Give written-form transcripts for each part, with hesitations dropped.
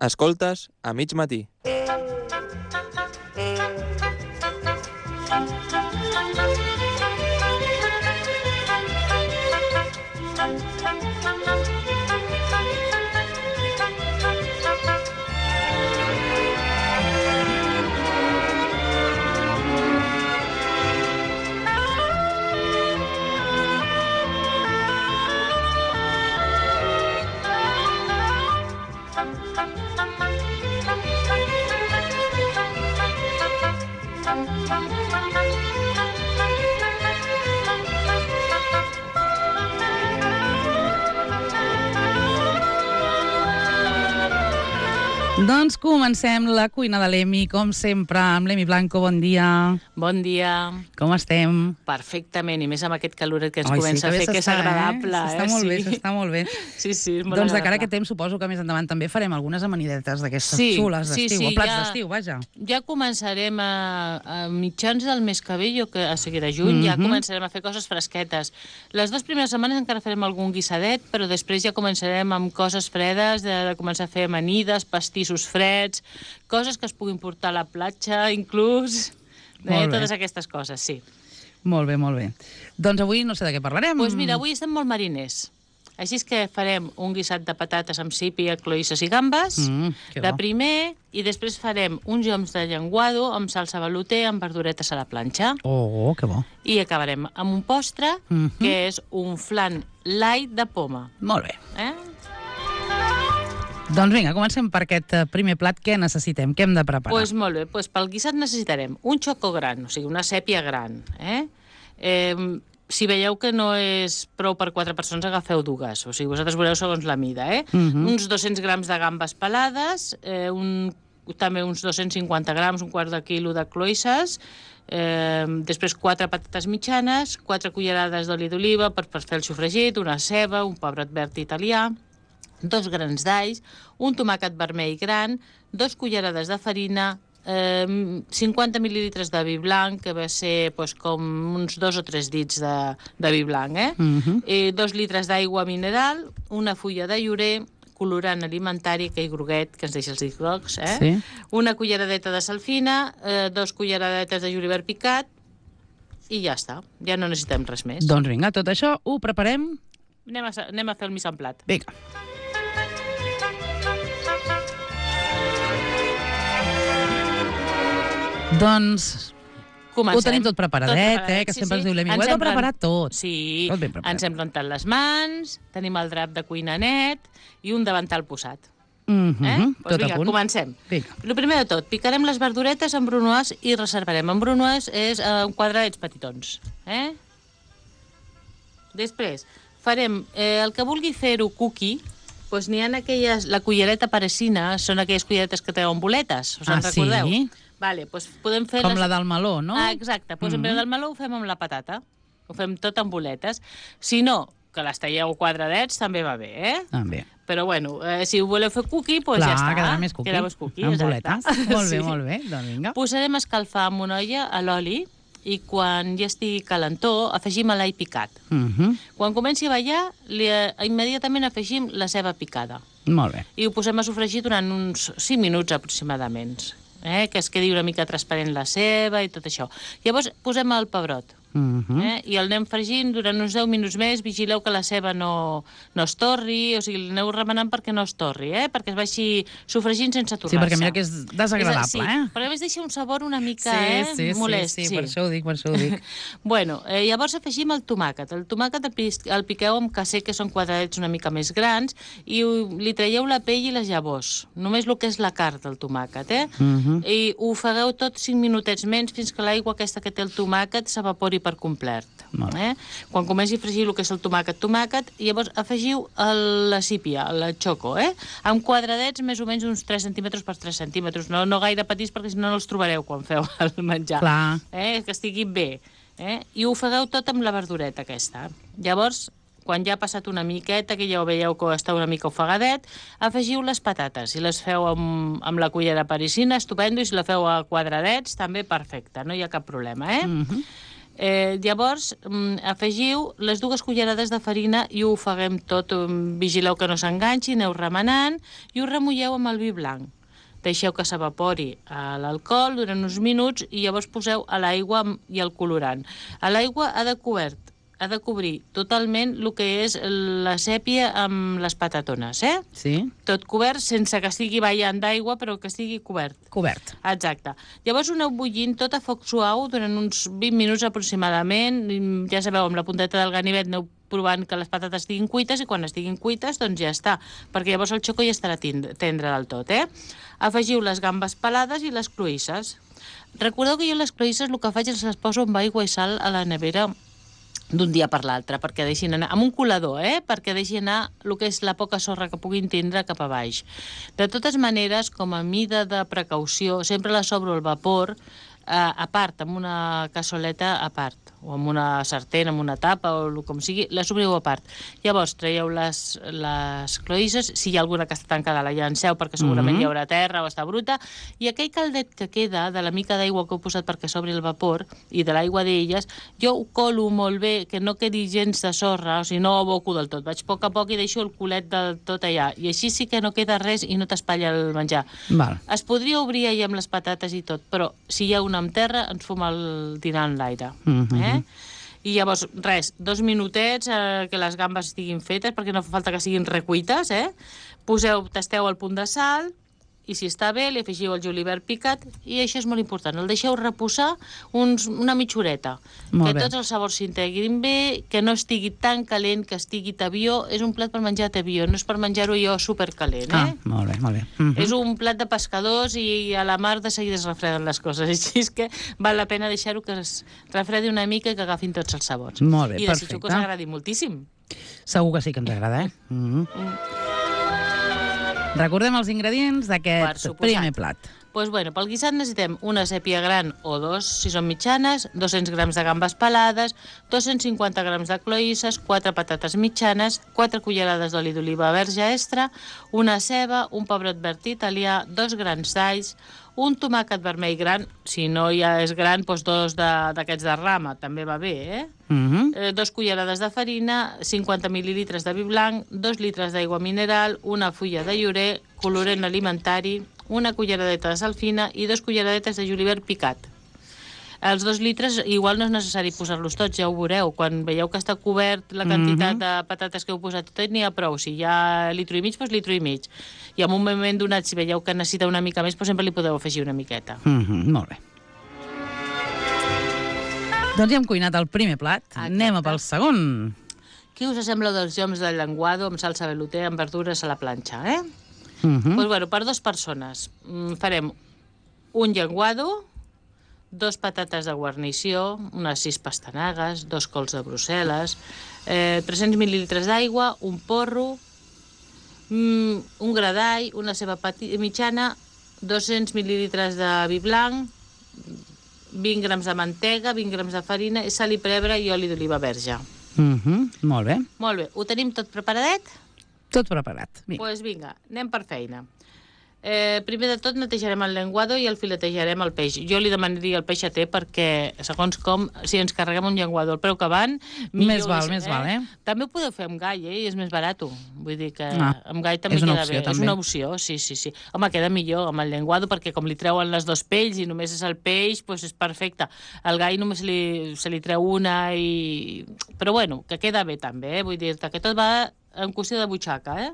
Escoltes a mig matí. Doncs comencem la cuina de l'Emi, com sempre, amb l'Emi Blanco. Bon dia. Bon dia. Com estem? Perfectament, i més amb aquest caloret que ens comença a fer, que és agradable. S'està molt bé, s'està molt bé. Sí, sí, és molt doncs de cara a agradable. aquest temps, suposo que més endavant també farem algunes amanidetes d'aquestes xules d'estiu, o plats d'estiu, vaja. Ja començarem a mitjans del mes que ve, a seguir a juny, ja començarem a fer coses fresquetes. Les 2 primeres setmanes encara farem algun guissadet, però després ja començarem amb coses fredes, de començar a fer amanides, pastissos freds, coses que es puguin portar a la platja, inclús, totes aquestes coses, sí. Molt bé, molt bé. Doncs avui no sé de què parlarem. Doncs mira, avui estem molt mariners. Així és que farem un guisat de patates amb sípia, cloïsses i gambes, de primer, i després farem uns lloms de llenguado amb salsa velouté amb verduretes a la planxa. Oh, que bo. I acabarem amb un postre, que és un flan light de poma. Molt bé. Doncs vinga, comencem per aquest primer plat. Què necessitem? Què hem de preparar? Doncs molt bé, pel guisat necessitarem un xoco gran, o sigui, una sèpia gran. Si veieu que no és prou per 4 persones, agafeu 2. O sigui, vosaltres veureu segons la mida, Uns 200 grams de gambes pelades, també uns 250 grams, un quart de quilo de cloïsses, després 4 patates mitjanes, 4 cullerades d'oli d'oliva per fer el sofregit, una ceba, un pebrot verd italià, 2 grans d'alls, un tomàquet vermell gran, 2 cullerades de farina, 50 mil·lilitres de vi blanc, que va ser com uns 2 o 3 dits de vi blanc, 2 litres d'aigua mineral, una fulla de llorer, colorant alimentari, aquell groguet que ens deixa els dits grocs, una culleradeta de sal fina, 2 culleradetes de julivert picat, i ja està, ja no necessitem res més. Doncs vinga, tot això ho preparem. Anem a fer el mise en plat. Vinga. Doncs comencem. Ho tenim tot preparadet, que sempre ens diu l'Emi. Ho hem de preparar tot. Sí, tot ben preparat. Ens hem rentat les mans, tenim el drap de cuina net i un davantal posat. Tot a punt. Comencem. Vinga. El primer de tot, picarem les verduretes en brunoise i reservarem. En brunoise és quadradets petitons. Després, farem el que vulgui fer-ho cookie, doncs n'hi ha aquelles, la cullereta parisina, són aquelles culleretes que treuen boletes, us en recordeu? Sí? Vale, doncs podem fer... Com la del meló, no? Exacte, doncs en vez del meló ho fem amb la patata, ho fem tot amb boletes. Si no, que les talleu quadradets també va bé, També. Però bueno, si ho voleu fer cookie, doncs ja està. Clar, quedarà més cookie. Quedarà més cookie, amb boletes. Molt bé, doncs vinga. Posarem a escalfar amb una olla a l'oli i quan ja estigui calentó afegim l'all picat. Quan comenci a ballar, immediatament afegim la ceba picada. Molt bé. I ho posem a sofregir durant uns 5 minuts aproximadament, que es quedi una mica transparent la ceba i tot això. Llavors posem el pebrot. I el anem fregint durant uns 10 minuts més. Vigileu que la ceba no es torri, o sigui, l'aneu remenant perquè no es torri, perquè es vagi sofregint sense torrar-se. Sí, perquè mira que és desagradable, Sí, perquè a més deixa un sabor una mica molest. Sí, per això ho dic. Bueno, llavors afegim el tomàquet. El tomàquet el piqueu amb casser, que són quadradets una mica més grans, i li traieu la pell i les llavors. Només el que és la carn del tomàquet, I ho ofegueu tot 5 minutets menys fins que l'aigua aquesta que té el tomàquet s'evapori per complet. Quan comenci a fregir el que és el tomàquet, llavors afegiu la sípia, el xoco, amb quadradets més o menys uns 3 centímetres per 3 centímetres, no gaire petits perquè si no els trobareu quan feu el menjar. Clar. Que estigui bé. I ho ofegueu tot amb la verdureta aquesta. Llavors, quan ja ha passat una miqueta, que ja ho veieu que està una mica ofegadet, afegiu les patates i les feu amb la cullera parisina, estupendo, i si la feu a quadradets, també perfecte, no hi ha cap problema, Llavors, afegiu les 2 cullerades de farina i ho ofeguem tot. Vigileu que no s'enganxi, aneu remenant i ho remulleu amb el vi blanc. Deixeu que s'evapori l'alcohol durant uns minuts i llavors poseu a l'aigua i el colorant. A l'aigua ha de cobrir totalment el que és la sèpia amb les patatones, Sí. Tot cobert, sense que estigui ballant d'aigua, però que estigui cobert. Cobert. Exacte. Llavors ho aneu bullint tot a foc suau durant uns 20 minuts aproximadament. Ja sabeu, amb la punteta del ganivet aneu provant que les patates estiguin cuites i quan estiguin cuites, doncs ja està, perquè llavors el xoco ja estarà tendre del tot, Afegiu les gambes pelades i les cloïsses. Recordeu que jo les cloïsses el que faig és les poso amb aigua i sal a la nevera d'un dia per l'altre, perquè deixin anar, amb un colador, perquè deixin anar el que és la poca sorra que puguin tindre cap a baix. De totes maneres, com a mida de precaució, sempre les obro al vapor, a part, amb una cassoleta a part, o amb una sartén, amb una tapa, o com sigui, les obriu a part. Llavors, traieu les cloïsses, si hi ha alguna que està tancada, la llanceu, perquè segurament hi haurà terra o està bruta, i aquell caldet que queda de la mica d'aigua que heu posat perquè s'obri el vapor, i de l'aigua d'elles, jo ho colo molt bé, que no quedi gens de sorra, o sigui, no ho aboco del tot. Vaig a poc i deixo el culet del tot allà, i així sí que no queda res i no t'espatlla el menjar. Val. Es podria obrir allà amb les patates i tot, però si hi ha una amb terra, ens fuma el dinar en l'aire. I llavors, res, 2 minutets que les gambes estiguin fetes, perquè no fa falta que siguin recuites, tasteu el punt de sal, i si està bé, li afegiu el julivert picat, i això és molt important, el deixeu reposar una mitja horeta, que tots els sabors s'integrin bé, que no estigui tan calent, que estigui tabió. És un plat per menjar tabió, no és per menjar-ho jo supercalent, Molt bé, molt bé. És un plat de pescadors i a la mar de seguida es refreden les coses, així és que val la pena deixar-ho que es refredi una mica i que agafin tots els sabors. Molt bé, i desitjo que us agradi moltíssim. Segur que sí que ens agrada, Recordem els ingredients d'aquest primer plat. Doncs pel guisat necessitem una sèpia gran o 2, si són mitjanes, 200 grams de gambes pelades, 250 grams de cloïsses, 4 patates mitjanes, 4 cullerades d'oli d'oliva verge extra, una ceba, un pebrot verd italià, 2 grans d'alls, un tomàquet vermell gran, si no ja és gran, doncs 2 d'aquests de rama, també va bé, 2 cullerades de farina, 50 mil·lilitres de vi blanc, 2 litres d'aigua mineral, una fulla de llorer, colorant alimentari, una culleradeta de sal fina i 2 culleradetes de julivert picat. Els 2 litres igual no és necessari posar-los tots, ja ho veureu. Quan veieu que està cobert la quantitat de patates que heu posat tot, n'hi ha prou. Si hi ha litro i mig, doncs litro i mig. I en un moment donat, si veieu que necessita una mica més, doncs sempre li podeu afegir una miqueta. Molt bé. Doncs ja hem cuinat el primer plat. Anem pel segon. Què us sembla dels lloms de llenguado amb salsa velouté amb verdures a la planxa, Doncs per 2 persones farem un llenguado, 2 patates de guarnició, unes 6 pastanagues, 2 cols de Brussel·les, 300 mil·lilitres d'aigua, un porro, un gra d'all, una ceba mitjana, 200 mil·lilitres de vi blanc, 20 grams de mantega, 20 grams de farina, sal i pebre i oli d'oliva verge. Molt bé. Molt bé. Ho tenim tot preparadet? Tot preparat. Doncs vinga, anem per feina. Primer de tot netejarem el llenguado i el filetejarem el peix. Jo li demanaria el peixater perquè, segons com, si ens carreguem un llenguado al preu que van, més val, També ho podeu fer amb gall, i és més barat. Vull dir que amb gall també queda bé. És una opció, sí. Home, queda millor amb el llenguado perquè com li treuen les 2 pells i només és el peix, doncs és perfecte. El gall només se li treu una i... Però bueno, que queda bé també, vull dir-te que tot va en qüestió de butxaca,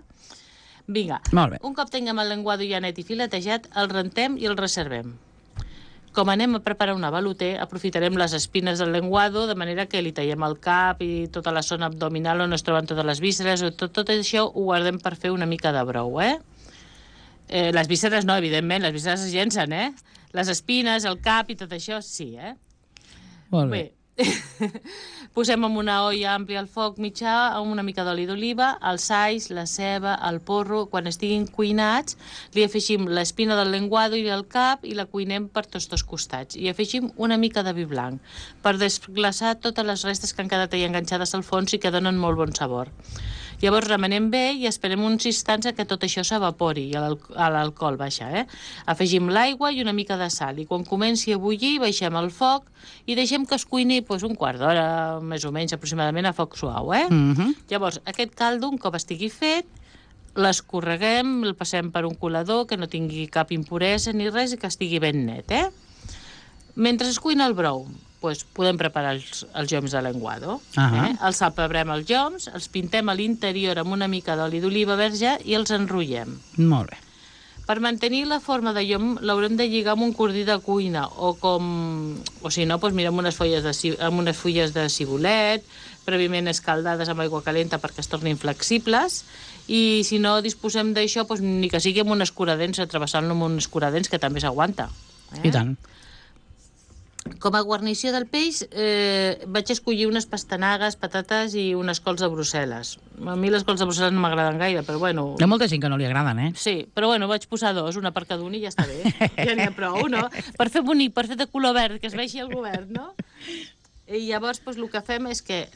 Vinga, un cop tinguem el llenguado ja net i filetejat, el rentem i el reservem. Com anem a preparar una velouté, aprofitarem les espines del llenguado, de manera que li tallem el cap i tota la zona abdominal on es troben totes les vísceres, tot això ho guardem per fer una mica de brou, Les vísceres no, evidentment, les vísceres es llencen, Les espines, el cap i tot això, sí, Molt bé. Posem en una olla àmplia al foc mitjà amb una mica d'oli d'oliva, els alls, la ceba, el porro. Quan estiguin cuinats, li afegim l'espina del llenguado i el cap i la cuinem per tots 2 costats. I afegim una mica de vi blanc per desglaçar totes les restes que han quedat ahí enganxades al fons i que donen molt bon sabor. Llavors remenem bé i esperem uns instants que tot això s'evapori i l'alcohol baixa. Afegim l'aigua i una mica de sal i quan comenci a bullir baixem el foc i deixem que es cuini un quart d'hora, més o menys aproximadament, a foc suau. Llavors, aquest caldo, un cop estigui fet, l'escorreguem, el passem per un colador que no tingui cap impuresa ni res i que estigui ben net. Mentre es cuina el brou, podem preparar els lloms de lenguado. Els apebrem els lloms, els pintem a l'interior amb una mica d'oli d'oliva verge i els enrotllem. Molt bé. Per mantenir la forma de llom l'haurem de lligar amb un cordí de cuina o si no, mira, amb unes fulles de cibulet, prèviament escaldades amb aigua calenta perquè es tornin flexibles, i si no disposem d'això, ni que sigui amb un escuradents, travessant-lo amb un escuradents, que també s'aguanta. I tant. Com a guarnició del peix vaig escollir unes pastanagues, patates i unes cols de Brussel·les. A mi les cols de Brussel·les no m'agraden gaire, però bueno... Hi ha molta gent que no li agraden, Sí, però bueno, vaig posar dos, una per cada un i ja està bé. Ja n'hi ha prou, no? Per fer bonic, per fer de color verd, que es vegi el govern, no? I llavors el que fem és que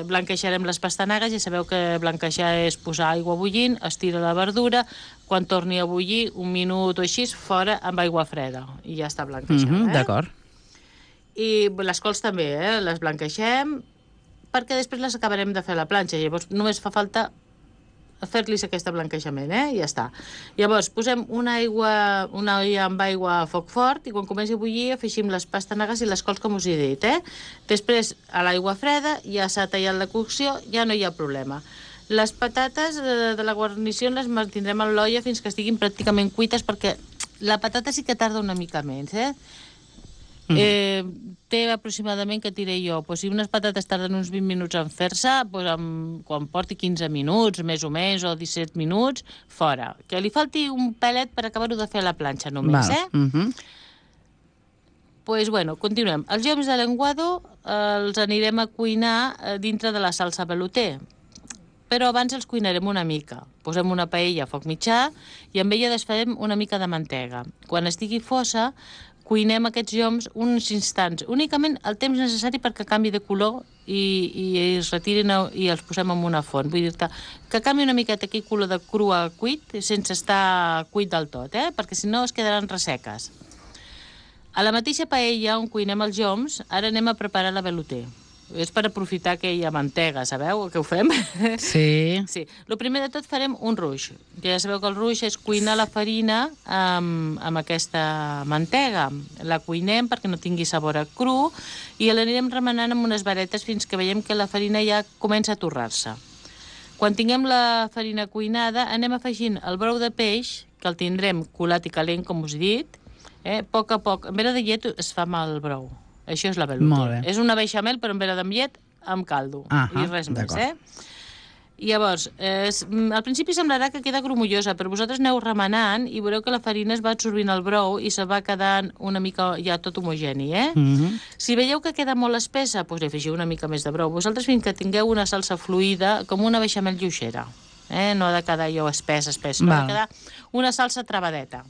blanqueixarem les pastanagues, ja sabeu que blanquejar és posar aigua bullint, estira la verdura, quan torni a bullir, un minut o així, fora amb aigua freda, i ja està blanquejada. D'acord. I les cols també, les blanqueixem, perquè després les acabarem de fer a la planxa, llavors només fa falta fer-los aquest blanquejament, i ja està. Llavors, posem una olla amb aigua a foc fort i quan comenci a bullir afegim les pastanagues i les cols, com us he dit. Després, a l'aigua freda, ja s'ha tallat la cocció, ja no hi ha problema. Les patates de la guarnició les mantindrem a l'olla fins que estiguin pràcticament cuites, perquè la patata sí que tarda una mica menys, té aproximadament, que diré jo, si unes patates tarden uns 20 minuts en fer-se, quan porti 15 minuts, més o menys, o 17 minuts, fora. Que li falti un pelet per acabar-ho de fer a la planxa només, continuem. Els lloms de lenguado els anirem a cuinar dintre de la salsa velouté, però abans els cuinarem una mica. Posem una paella a foc mitjà i amb ella desfarem una mica de mantega. Quan estigui fosa, cuinem aquests lloms uns instants, únicament el temps necessari perquè canvi de color i es retirin i els posem en una font. Vull dir que canvi una miqueta aquell color de cru a cuit, sense estar cuit del tot, perquè si no es quedaran resseques. A la mateixa paella on cuinem els lloms, ara anem a preparar la velouté. És per aprofitar aquella mantega, sabeu que ho fem? Sí. El primer de tot farem un ruix. Ja sabeu que el ruix és cuinar la farina amb aquesta mantega. La cuinem perquè no tingui sabor a cru i l'anirem remenant amb unes varetes fins que veiem que la farina ja comença a torrar-se. Quan tinguem la farina cuinada, anem afegint el brou de peix, que el tindrem colat i calent, com us he dit. A poc a poc, en vena de llet es fa amb el brou. Això és la velouté. És una beixamel, però en vena amb llet, amb caldo. I res més, Llavors, al principi semblarà que queda grumollosa, però vosaltres aneu remenant i veureu que la farina es va absorbint al brou i se va quedant una mica ja tot homogeni, Si veieu que queda molt espessa, doncs afegiu una mica més de brou. Vosaltres fins que tingueu una salsa fluida, com una beixamel lluixera. No ha de quedar allò espès, no ha de quedar una salsa travadeta.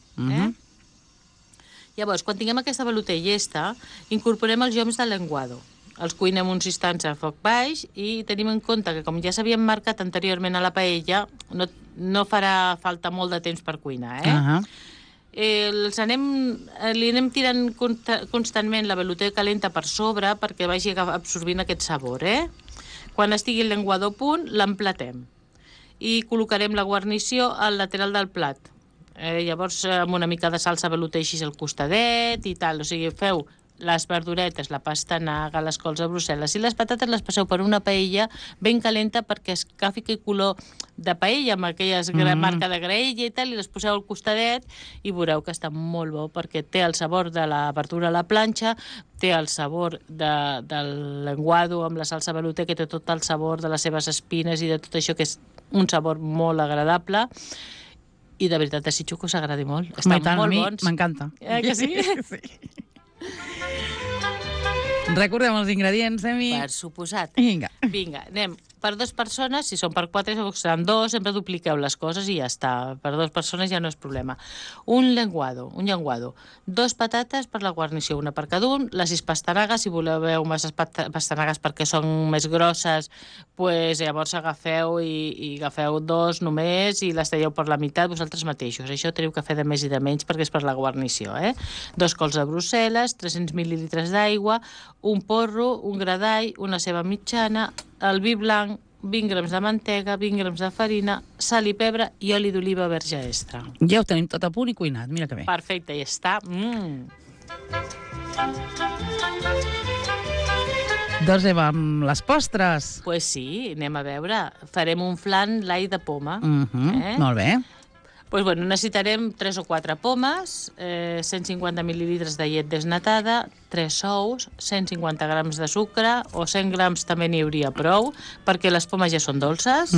Llavors, quan tinguem aquesta velouté llesta, incorporem els lloms de lenguado. Els cuinem uns instants a foc baix i tenim en compte que, com ja s'havien marcat anteriorment a la paella, no farà falta molt de temps per cuinar, li anem tirant constantment la velouté calenta per sobre perquè vagi absorbint aquest sabor, Quan estigui el lenguado a punt, l'emplatem i col·locarem la guarnició al lateral del plat. Llavors, amb una mica de salsa velouté així al costadet i tal. O sigui, feu les verduretes, la pastanaga, les cols de Brussel·les i les patates les passeu per una paella ben calenta perquè es agafi aquell color de paella amb aquella marca de graella i tal, i les poseu al costadet i veureu que està molt bo perquè té el sabor de la verdura a la planxa, té el sabor del lenguado amb la salsa velouté, que té tot el sabor de les seves espines i de tot això, que és un sabor molt agradable. I de veritat desitjo que us agradi molt. Estan molt bons. M'encanta. Que sí? Sí. Recordem els ingredients, Emi. Per suposat. Vinga. Anem. per 2 persones, si són per 4, seran 2, sempre dupliqueu les coses i ja està. Per 2 persones ja no és problema. Un llenguado. 2 patates per la guarnició, una per cada un. Les 6 pastanagues, si voleu més pastanagues perquè són més grosses, pues, llavors agafeu i agafeu 2 només i les talleu per la meitat vosaltres mateixos. Això teniu que fer de més i de menys perquè és per la guarnició. 2 cols de Brussel·les, 300 mil·lilitres d'aigua, un porro, un gra d'all, una ceba mitjana, el vi blanc, 20 grams de mantega, 20 grams de farina, sal i pebre i oli d'oliva verge extra. Ja ho tenim tot a punt i cuinat, mira que bé. Perfecte, ja està. Doncs Eva, amb les postres. Pues sí, anem a veure. Farem un flan l'all de poma. Molt bé. Pues bueno, necessitarem 3 o 4 pomes, 150 mil·lilitres de llet desnatada, 3 ous, 150 grams de sucre, o 100 grams també n'hi hauria prou, perquè les pomes ja són dolces,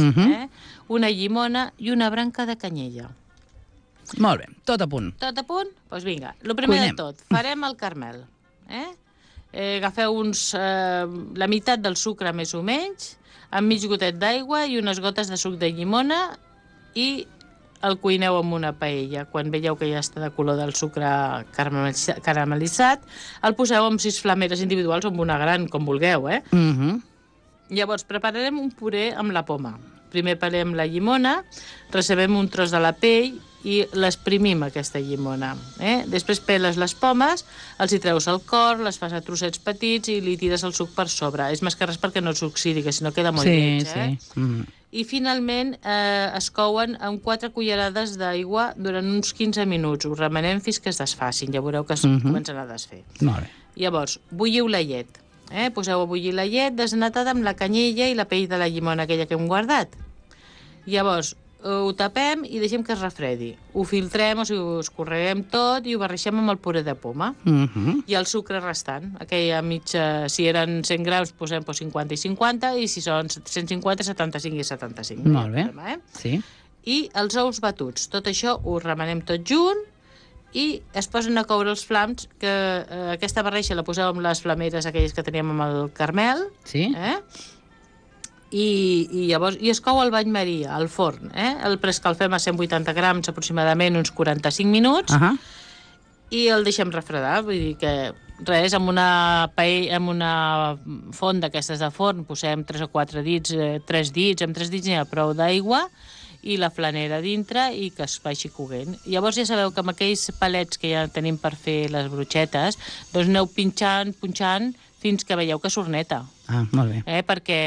una llimona i una branca de canyella. Molt bé, tot a punt. Tot a punt? Doncs vinga, el primer de tot, farem el caramel. Agafeu la meitat del sucre més o menys, amb mig gotet d'aigua i unes gotes de suc de llimona i el cuineu amb una paella. Quan veieu que ja està de color del sucre caramelitzat, el poseu amb 6 flameres individuals o amb una gran, com vulgueu, Llavors, prepararem un puré amb la poma. Primer pelem la llimona, recebem un tros de la pell i l'exprimim, aquesta llimona. Després peles les pomes, els hi treus el cor, les fas a trossets petits i li tires el suc per sobre. És més que res perquè no s'oxidi, que si no queda molt lleig. Sí. I finalment es couen amb 4 cullerades d'aigua durant uns 15 minuts. Ho remenem fins que es desfacin. Ja veureu que es comencen a desfer. Molt bé. Llavors, bulliu la llet. Poseu a bullir la llet desnatada amb la canyella i la pell de la llimona aquella que hem guardat. Llavors, ho tapem i deixem que es refredi. Ho filtrem, o sigui, ho escorreguem tot i ho barreixem amb el puré de poma. I el sucre restant, aquella mitja, si eren 100 grams, posem 50 i 50, i si són 150, 75 i 75. Molt bé, sí. I els ous batuts. Tot això ho remenem tot junt i es posen a coure els flams, que aquesta barreixa la poseu amb les flameres aquelles que teníem amb el caramel. Sí. I llavors es cou al bany maria, al forn. El preescalfem a 180 grams aproximadament uns 45 minuts i el deixem refredar. Vull dir que res, amb una font d'aquestes de forn posem 3 o 4 dits, 3 dits, amb 3 dits n'hi ha prou d'aigua i la flanera dintre i que es vagi coguent. Llavors ja sabeu que amb aquells palets que ja tenim per fer les brochetes, doncs aneu punxant fins que veieu que s'orneta. Molt bé. Perquè,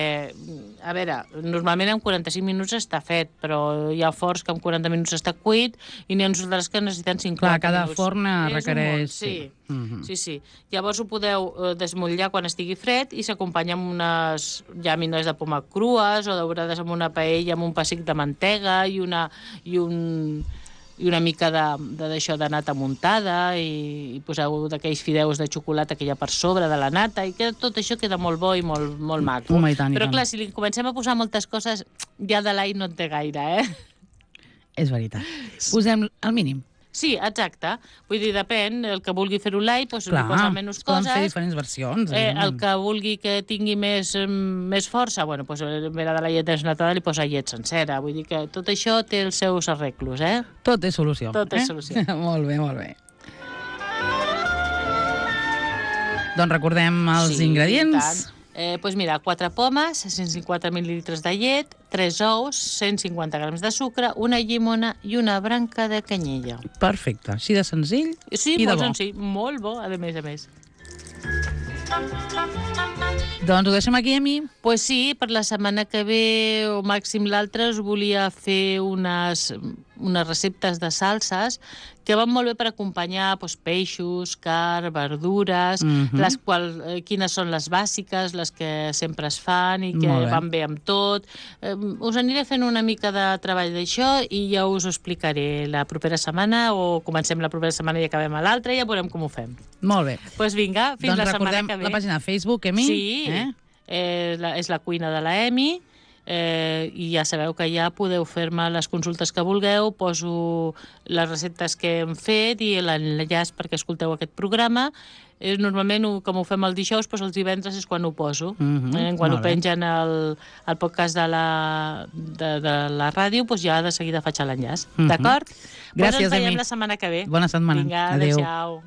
a veure, normalment en 45 minuts està fet, però hi ha forns que en 40 minuts està cuit i n'hi ha uns altres que necessiten 50 minuts. Clar, cada forn requereix... Sí. Llavors ho podeu desmotllar quan estigui fred i s'acompanya amb unes llàmines de poma crues o daurades amb una paella amb un pessic de mantega i una mica d'això de nata muntada i poseu d'aquells fideus de xocolata que hi ha per sobre de la nata i que tot això queda molt bo i molt maco. Però clar, si li comencem a posar moltes coses, ja de l'all no en té gaire, És veritat. Posem el mínim. Sí, exacte. Vull dir, depèn, el que vulgui fer-ho l'all, doncs li posa menys coses. Poden fer diferents versions. El que vulgui que tingui més força, bueno, doncs en vez de la llet desnatada li posa llet sencera. Vull dir que tot això té els seus arreglos, Tot és solució. Tot és solució. Molt bé, molt bé. Doncs recordem els ingredients. Doncs mira, 4 pomes, 150 mil·lilitres de llet, 3 ous, 150 grams de sucre, una llimona i una branca de canyella. Perfecte, així de senzill i de bo. Sí, molt senzill, molt bo, a més. Doncs ho deixem aquí, Emi? Pues sí, per la setmana que ve o màxim l'altra us volia fer unes receptes de salses que van molt bé per acompanyar peixos, carn, verdures, les quals, quines són les bàsiques, les que sempre es fan i que van bé amb tot. Us aniré fent una mica de treball d'això i ja us ho explicaré la propera setmana o comencem la propera setmana i acabem a l'altra i ja veurem com ho fem. Molt bé. Doncs vinga, fins la setmana que ve. La pàgina de Facebook, Emi. Sí, és la cuina de la Emi. i ja sabeu que ja podeu fer-me les consultes que vulgueu, poso les receptes que hem fet i l'enllaç perquè escolteu aquest programa. Normalment, com ho fem el dijous, doncs els divendres és quan ho poso. Quan ho pengen al podcast de la ràdio, doncs ja de seguida faig l'enllaç. D'acord? Gràcies, ens veiem la setmana que ve. Bona setmana. Vinga, adéu.